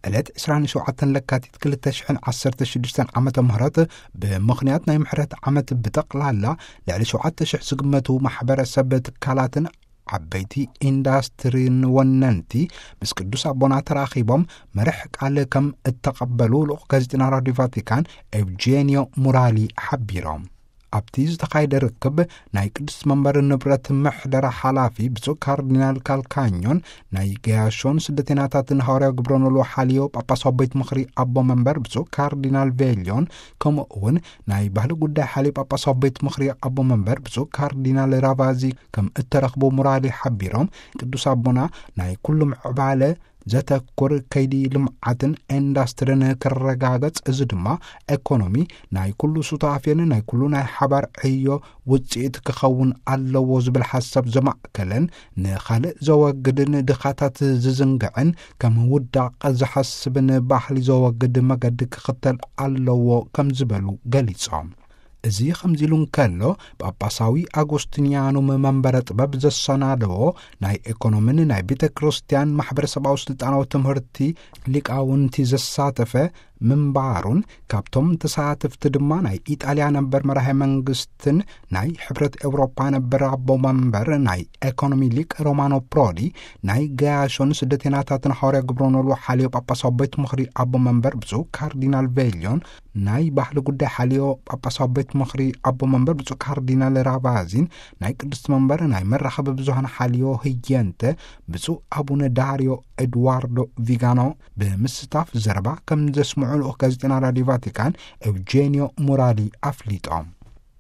ዕለት ዕስራን ሸውዓተን ለካቲት ክልተ ሽሕን ዓሰርተ ሽዱሽተን ዓመተ ምህረት፣ ብምኽንያት ናይ ምሕረት ዓመት ብጠቕላላ ልዕሊ ሸውዓተ ሽሕ ዝግመቱ ማሕበረሰብ ትካላትን ዓበይቲ ኢንዳስትሪን ወነንቲ ምስ ቅዱስ ኣቦና ተራኺቦም መርሕ ቃል ከም እተቐበሉ ልኡኽ ጋዜጠና ራዲዮ ቫቲካን ኤውጄኒዮ ሙራሊ ሓቢሮም። ኣብቲ ዝተኻየደ ርክብ ናይ ቅዱስ መንበር ንብረት ምሕደራ ሓላፊ ብፁዕ ካርዲናል ካልካኞን ናይ ገያሾን ስደተኛታትን ሃዋርያ ግብረ ኖልዎ ሓልዮ ጳጳሳዊ ቤት ምኽሪ ኣቦ መንበር ብፁዕ ካርዲናል ቬልዮን፣ ከምኡ እውን ናይ ባህሊ ጉዳይ ሓልዮ ጳጳሳዊ ቤት ምኽሪ ኣቦ መንበር ብፁዕ ካርዲናል ራቫዚ ከም እተረኽቡ ሙራሊ ሓቢሮም፣ ቅዱስ ኣቦና ናይ ኩሉ ምዕባለ ዘተኩር ከይዲ ልምዓትን ኢንዳስትሪን ክረጋገጽ፣ እዚ ድማ ኤኮኖሚ ናይ ኩሉ ሱታፌን ናይ ኩሉ ናይ ሓባር ዕዮ ውጽኢት ክኸውን ኣለዎ ዝብል ሓሳብ ዘማእከለን፣ ንኻልእ ዘወግድን ድኻታት ዝዝንግዕን ከም ውዳቕ ዝሓስብን ባህሊ ዘወግድ መገዲ ክኽተል ኣለዎ ከም ዝበሉ ገሊጾም። እዚ ከምዚ ኢሉ እንከሎ፣ ጳጳሳዊ ኣጎስቲንያኑም መንበረ ጥበብ ዘሰናደዎ ናይ ኤኮኖሚን ናይ ቤተ ክርስቲያን ማሕበረሰባዊ ስልጣናዊ ትምህርቲ ሊቃውንቲ ዘሳተፈ ምንባሩን፣ ካብቶም ተሳተፍቲ ድማ ናይ ኢጣልያ ነበር መራሄ መንግስትን ናይ ሕብረት ኤውሮፓ ነበር ኣቦ መንበር ናይ ኤኮኖሚ ሊቅ ሮማኖ ፕሮዲ፣ ናይ ገያሾን ስደተኛታትን ሃዋርያ ግብረ ኖልዎ ሓልዮ ጳጳሳዊ ቤት ምኽሪ ኣቦ መንበር ብፁዕ ካርዲናል ቬልዮን፣ ናይ ባህሊ ጉዳይ ሓልዮ ጳጳሳዊ ቤት ምኽሪ ኣቦ መንበር ብፁዕ ካርዲናል ራቫዚን፣ ናይ ቅድስቲ መንበር ናይ መራኸቢ ብዙሃን ሓልዮ ህየንተ ብፁዕ ኣቡነ ዳርዮ ኤድዋርዶ ቪጋኖ ብምስታፍ ዘረባ ከም ዘስምዑ ልኡኽ ጋዜጠና ራዲዮ ቫቲካን ኤውጄኒዮ ሙራሊ ኣፍሊጦም።